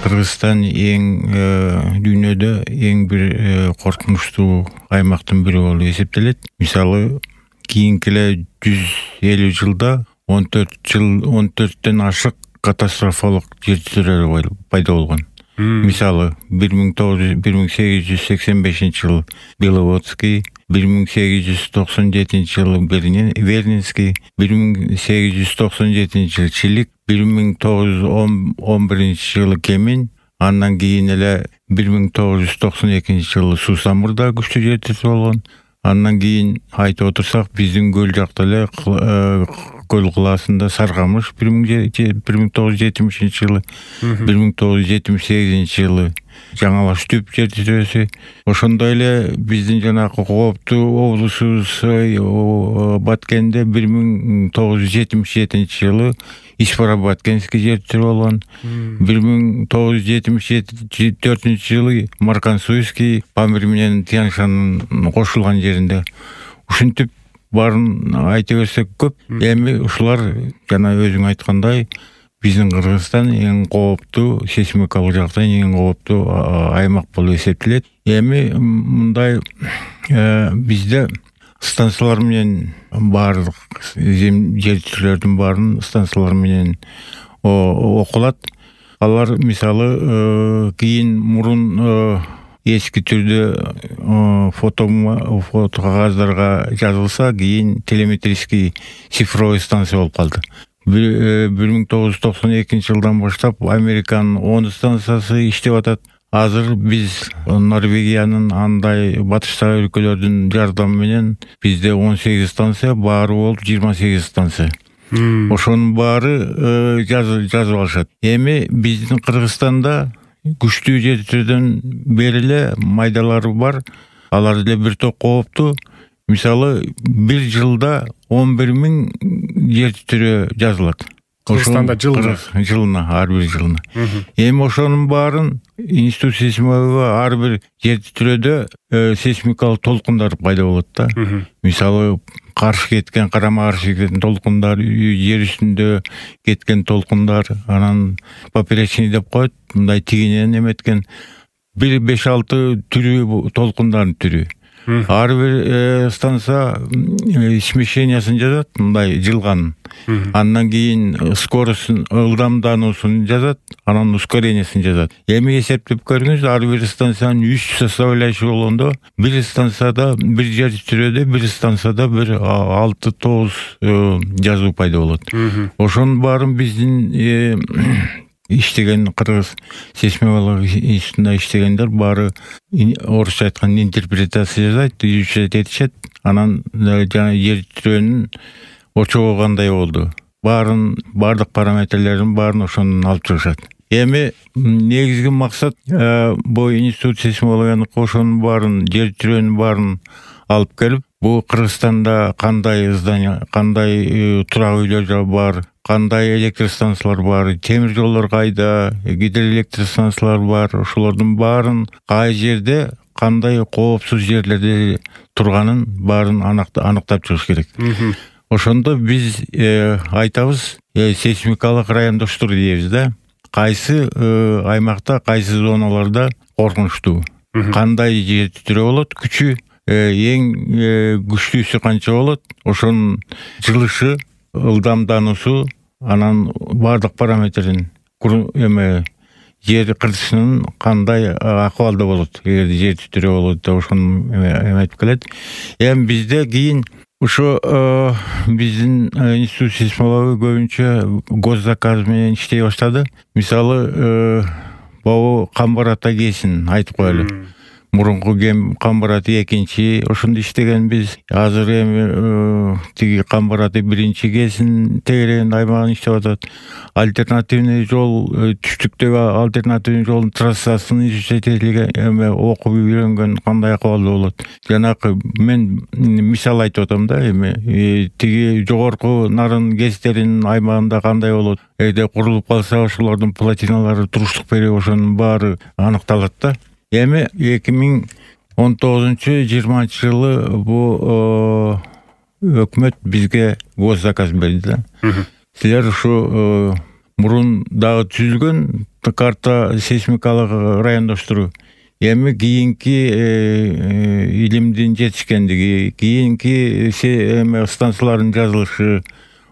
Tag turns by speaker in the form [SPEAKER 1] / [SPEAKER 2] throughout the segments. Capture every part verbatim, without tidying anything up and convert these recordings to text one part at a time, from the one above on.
[SPEAKER 1] Кыргызстан эң дүйнөдө эң бир коркунучтуу аймактын бири болуп эсептелет. Мисалы, кийинки эле жүз элүү жылда он төрт жыл он төрттөн ашык катастрофалык жер титирөөлөр пайда болгон. Мисалы, бир миң сегиз жүз сексен бешинчи жыл Беловодский, бир миң сегиз жүз токсон жетинчи жылы Вернинский, бир миң сегиз жүз токсон жетинчи жылы Чилик, бир миң тогуз жүз он биринчи жылы Кемин, андан кийин эле бир миң тогуз жүз токсон экинчи жылы Суусамурда күчтүү жер титирөө болгон. Андан кийин айтып отурсак, биздин көл жакта эле көл кылаасында Саркамыш бир миң тогуз жүз жетимишинчи жылы, бир миң тогуз жүз жетимиш сегизинчи жылы Жаңалаш түп жер титирөөсү. Ошондой эле биздин жанагы кооптуу облусубуз Баткенде бир миң тогуз жүз жетимиш жетинчи жылы Ишпара-Баткенский жер титирөө болгон. бир миң тогуз жүз жетимиш төртүнчү жылы Маркансуйский Памир менен Тянь-Шаньнын кошулган жеринде. Ушинтип баарын айта берсек көп. Эми ушулар жана өзүң айткандай биздин Кыргызстан эң кооптуу, сейсмикалык жактан эң кооптуу аймак болуп эсептелет. Эми мындай бизде станциялар менен баардык жер титирөөлөрдүн баарын станциялар менен окулат. Алар мисалы кийин мурун эски түрдө фото фото кагаздарга жазылса, кийин телеметрический цифровой станция болуп калды. бир миң тогуз жүз токсон экинчи жылдан баштап Американын он станциясы иштеп атат. Азыр биз Норвегиянын андай батыштагы өлкөлөрдүн жардамы менен бизде он сегиз станция, баары болуп жыйырма сегиз станция. Ошонун баары жазып алышат. Эми биздин Кыргызстанда күчтүү жер титирөөдөн бери эле майдалары бар. Алар деле бир топ кооптуу. Мисалы, бир жылда он бир миң жер титирөө жазылат.
[SPEAKER 2] Кыргызстанда жылына
[SPEAKER 1] жылына ар бир жылына. Эми ошонун баарын институт сейсмология ар бир жер титирөөдө сейсмикалык толкундар пайда болот да. Мисалы, каршы кеткен, карама каршы кеткен толкундар, жер үстүндө кеткен толкундар, анан поперечный деп коет, мындай тигинен эметкен бир беш алты түрү толкундардын түрү. Ар бир станция смещениясын жазат, мындай жылган. Андан кийин скоростун, ылдамдануусун жазат, анан ускорениясын жазат. Эми эсептеп көрүңүз, ар бир станциянын үч составляющий болгондо, бир станцияда, бир жер титирөөдө, бир станцияда бир алты тогуз жазуу пайда болот. Ошонун баарын биздин иштеген Кыргыз сейсмология институтунда иштегендер баары орусча айтканда интерпретация жасайт, изучать этишет. Анан жана жер титирөөнүн очогу кандай болду, баарын баардык параметрлерин баарын ошондон алып чыгышат. Эми негизги максат бул институт сейсмологиянын ошонун баарын, жер титирөөнүн баарын алып келип, бул Кыргызстанда кандай здание, кандай турак үйлөр бар, кандай электр станциялар бар, темир жолдор кайда, гидроэлектростанциялар бар, ошолордун баарын кай жерде кандай коопсуз жерлерде турганын баарын аныктап чыгыш керек. Ошондо биз айтабыз, сейсмикалык райондоштур дейбиз да. Кайсы аймакта, кайсы зоналарда коркунучтуу, кандай жер титирөө болот, күчү, эң күчтүүсү канча болот, ошонун жылышы, ылдамдануусу, анан баардык параметрин, эме жер кыртышынын кандай акыбалда болот, эгер жер титирөө болот деп ошону айтып келет. Эми бизде кийин ошо биздин институт сейсмология көбүнчө госзаказ менен иштей баштады. Мисалы, бабу Камбар ата кесин айтып коелу. Мурунку Камбар ата экинчи ошондо иштегенбиз. Азыр эми тиги Камбар ата биринчи кесин тегерегин аймагын иштеп атат. Альтернативный жол, түштүктөгү альтернативный жолдун трассасын изучать этилген, эми окуп үйрөнгөн, кандай акыбалда болот. Жанагы мен мисал айтып атам да, эми тиги жогорку нарын кестеринин аймагында кандай болот. Эгерде курулуп калса, ошолордун плотиналары туруштук берип, ошонун баары аныкталат да. Эми эки миң он тогузунчу жыйырманчы жылы бу өкмөт бизге госзаказ берди да. Силер ушу мурун дагы түзүлгөн карта сейсмикалык райондоштуруу эми кийинки илимдин жетишкендиги, кийинки эме станциялардын жазылышы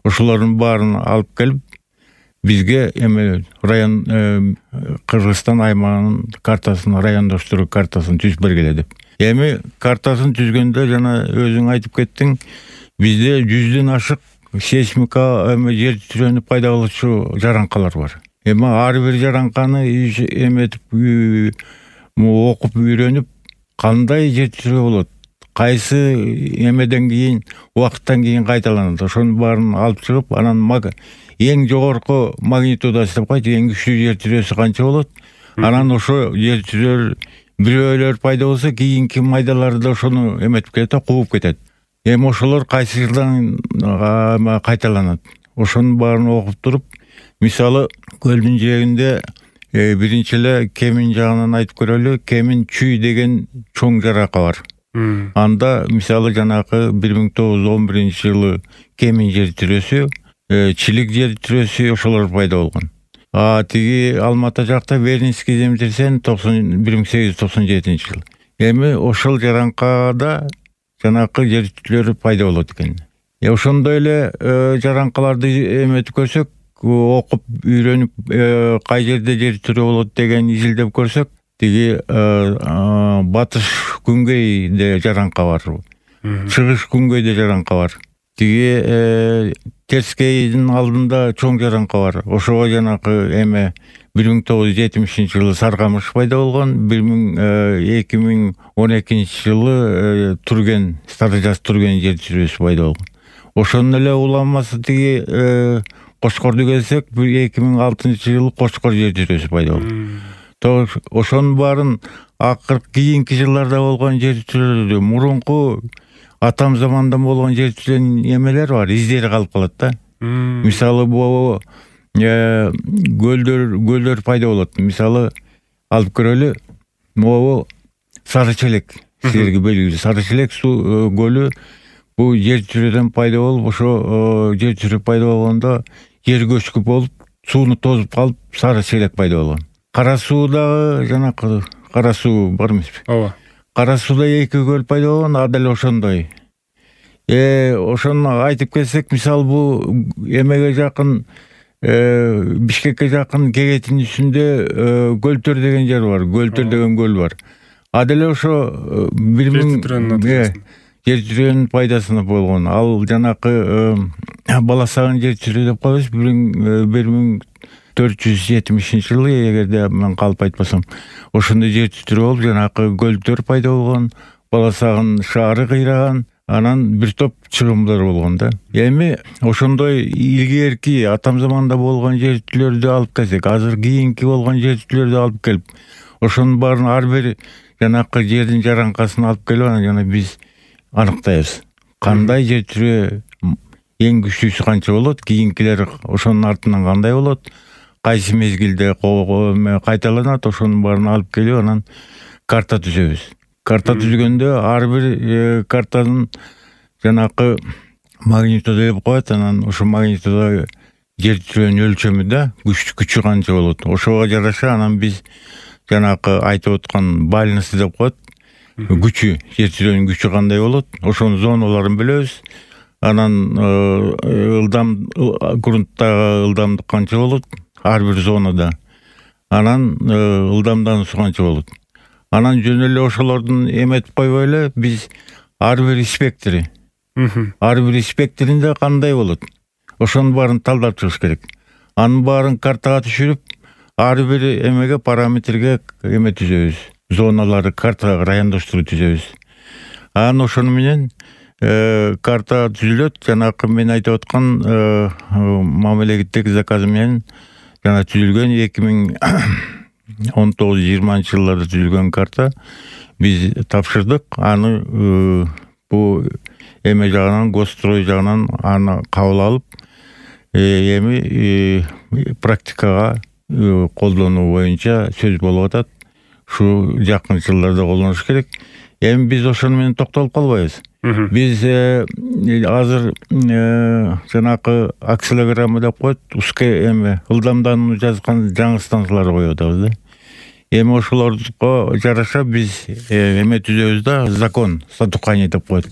[SPEAKER 1] ошолордун баарын алып келип бизге эме район Кыргызстан аймагынын картасын, райондоштуруу картасын түзүп бергиле деп. Эми картасын түзгөндө жана өзүң айтып кеттиң, бизде жүздөн ашык сейсмика эме жер титирөөнү пайда кылуучу жаранкалар бар. Эми ар бир жаранканы эметип окуп үйрөнүп, кандай жер титирөө болот, кайсы эмеден кийин, убакыттан кийин кайталанат, ошонун баарын алып чыгып, анан эң жогорку магнитудасы деп коет, эң күчтүү жер титирөөсү канча болот, анан ошо жер титирөөлөр бирөөлөр пайда болсо, кийинки майдаларды ошону эметип кетет, кууп кетет. Эми ошолор кайсы жылдан кайталанат, ошонун баарын окуп туруп, мисалы көлдүн жээгинде биринчи эле Кемин жагынан айтып көрөлү. Кемин чүй деген чоң жарака бар. Анда мисалы жанакы бир миң тогуз жүз он биринчи жылы Кемин жер титирөөсү, Чилик жер титирөөсү ошолор пайда болгон. А тиги Алматы жакта Вернинский землетрясение бир миң сегиз жүз токсон жетинчи жыл. Эми ошол жаранкада жанакы жер титирөөлөр пайда болот экен. Э ошондой эле жаранкаларды эметип көрсөк, окуп үйрөнүп, кай жерде жер титирөө болот деген изилдеп көрсөк, тиги батыш күнгөйдө жаранка бар, чыгыш күнгөйдө жаранка бар. Тиги Терскейдин алдында чоң жаранка бар. Ошого жанакы эме бир миң тогуз жүз жетимишинчи жылы Саргамыш пайда болгон, эки миң он экинчи жылы Турген, Стары Жаз Турген жер титирөөсү пайда болгон. Ошонун эле уламасы тиги Кошкорду келсек, эки миң алтынчы жылы Кошкор жер титирөөсү пайда болгон. Ошонун баарын акыркы кийинки жылдарда болгон жер титирөөлөрдө мурунку атам замандан болгон жер титирөөнүн эмелер бар, издери калып калат да. Мисалы бу көлдөр көлдөр пайда болот. Мисалы алып көрөлү, могу Сарычелек, силерге белгилүү Сарычелек суу көлү бу жер титирөөдөн пайда болуп, ошо жер титирөө пайда болгондо жер көчкү болуп, сууну тозуп калып, Сарычелек пайда болгон. Кара суудагы жанакы кара суу бар эмеспи? Ооба. Кара сууда эки көл пайда болгон, а деле ошондой. Э ошону айтып келсек, мисалы бу эмеге жакын, Бишкекке жакын Кегеттин үстүндө Көлтөр деген жер бар, Көлтөр деген көл бар. А деле ошо бир миң жер титирөөнүн пайдасына болгон. Ал жанакы Баласагын жер титирөө деп коебуз, бир миң төрт жүз жетимишинчи жылы, эгерде мен калп айтпасам, ошондой жер титирөө болуп, жанакы Көлтөр пайда болгон, Баласагын шаары кыйраган, анан бир топ чыгымдар болгон да. Эми ошондой илгерки атам заманда болгон жер титирөөлөрдү алып келсек, азыр кийинки болгон жер титирөөлөрдү алып келип, ошонун баарын ар бир жанакы жердин жаранкасын алып келип, анан жана биз аныктайбыз. Кандай жер титирөө эң күчтүүсү канча болот, кийинкилер ошонун артынан кандай болот, кайсы мезгилде кайталанат, ошонун баарын алып келип, анан карта түзөбүз. Карта түзгөндө ар бир картанын жанакы магнитуда деп коет, анан ошо магнитуда жер титирөөнүн өлчөмү да, күчү канча болот. Ошого жараша анан биз жанакы айтып аткан бальность деп коет, күчү, жер титирөөнүн күчү кандай болот, ошонун зоналарын билебиз. Анан ылдам грунттагы ылдамдык канча болот, ар бир зонада. Анан ылдамдануусу канча болот. Анан жөн эле ошолордун эметип койбой эле биз ар бир спектри, ар бир спектринде кандай болот, ошонун баарын талдап чыгыш керек. Анын баарын картага түшүрүп, ар бир эмеге параметрге эме түзөбүз, зоналарды картага райондоштуруу түзөбүз. Анан ошону менен карта түзүлөт, жанакы мен айтып аткан мамлекеттик заказ менен жана түзүлгөн эки миң он тогуз жыйырманчы жылдарда түзүлгөн карта биз тапшырдык. Аны бу эме жагынан, Госстрой жагынан аны кабыл алып, эми практикага колдонуу боюнча сөз болуп атат. Ушу жакын жылдарда колдонуш керек. Эми биз ошону менен токтолуп калбайбыз. Биз азыр жанакы акселограмма деп коет, узкий эме ылдамдануу жазган жаңы станциялар коюп атабыз да. Эми ошолорго жараша биз эме түзөбүз да, закон статуканий деп коет.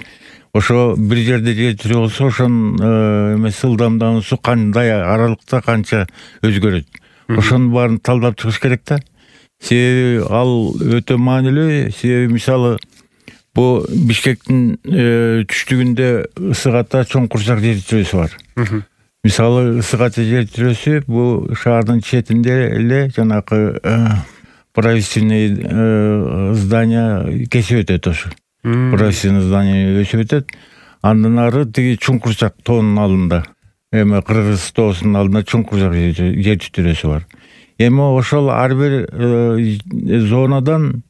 [SPEAKER 1] Ошо бир жерде жер тирүү болсо, ошонун эмеси ылдамдануусу кандай аралыкта канча өзгөрөт. Ошонун баарын талдап чыгыш керек да. Себеби ал өтө маанилүү. Себеби мисалы бу Бишкектин түштүгүндө Ысык Ата чоң курчак жер тирөөсү бар. Мисалы Ысык Ата жер тирөөсү бул шаардын четинде эле жанакы правительственный здание кесип өтөт ошо. Правительственный здание өсүп өтөт. Андан ары тиги чоң курчак тоонун алдында, эми Кыргыз тоосунун алдында чоң курчак жер тирөөсү бар. Эми ошол ар бир зонадан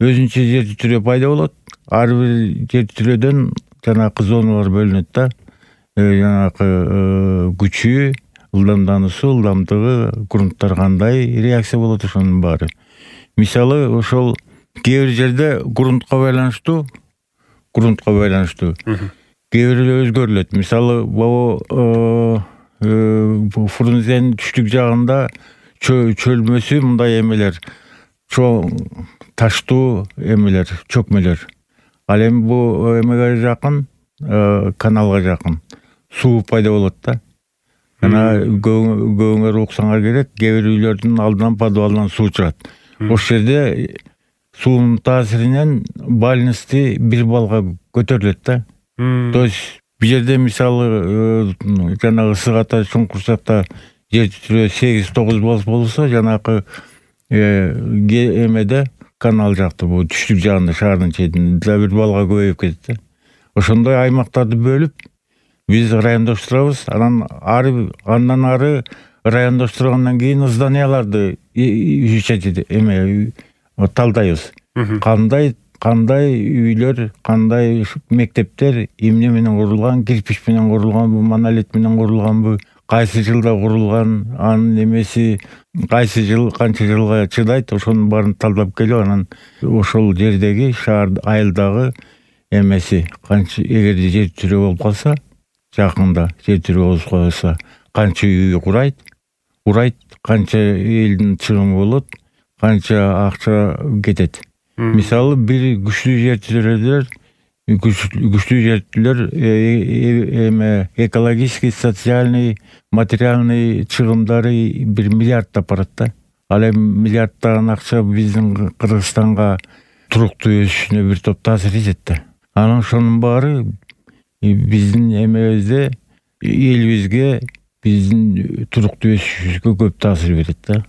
[SPEAKER 1] өзүнчө жер тирөө пайда болот. Ар бир жер тирөөдөн жанакы зоналар бөлүнөт да. Жанакы күчү, ылдамдануусу, ылдамдыгы, грунттар кандай реакция болот, ошонун баары. Мисалы ошол кээ бир жерде грунтка байланыштуу, грунтка байланыштуу кээ бирөө өзгөрүлөт. Мисалы бул Фрунзенин түштүк жагында чөлмөсү мындай эмелер, чоң таштуу эмелер, чөкмөлөр. Ал эми бул эмеге жакын, каналга жакын суу пайда болот да. Жана көбүңөр уксаңар керек, кээ бир үйлөрдүн алдынан подвалдан суу чыгат. Ошол жерде суунун таасиринен бальности бир баллга көтөрүлөт да. То есть бир жерде мисалы жанагы Ысык Ата чоң курчакта жер тирөө сегиз тогуз балл болсо, жанакы эмеде канал жакты, бул түштүк жагында шаардын четинде бир баллга көбөйүп кетет да. Ошондой аймактарды бөлүп биз райондоштурабыз. Анан ары андан ары райондоштургандан кийин зданияларды изучать эме талдайбыз. Кандай кандай үйлөр, кандай мектептер эмне менен курулган, кирпич менен курулганбы, монолит менен курулганбы, кайсы жылда курулган, анын эмеси кайсы жыл канча жылга чыдайт, ошонун баарын талдап келип, анан ошол жердеги шаар айылдагы эмеси канча, эгерде жер тирөө болуп калса, жакында жер тирөө болуп калса, канча үй курайт, урайт, канча элдин чыгымы болот, канча акча кетет. Мисалы бир күчтүү жер тирөөлөр, күчтүү жертөлөр эме экологический, социальный, материальный чыгымдары бир миллиардтап барат да. Ал эми миллиардтаган акча биздин Кыргызстанга туруктуу өсүшүнө бир топ таасир этет да. Анан ошонун баары биздин эмебизде, элибизге, биздин туруктуу өсүшүбүзгө көп таасир берет да.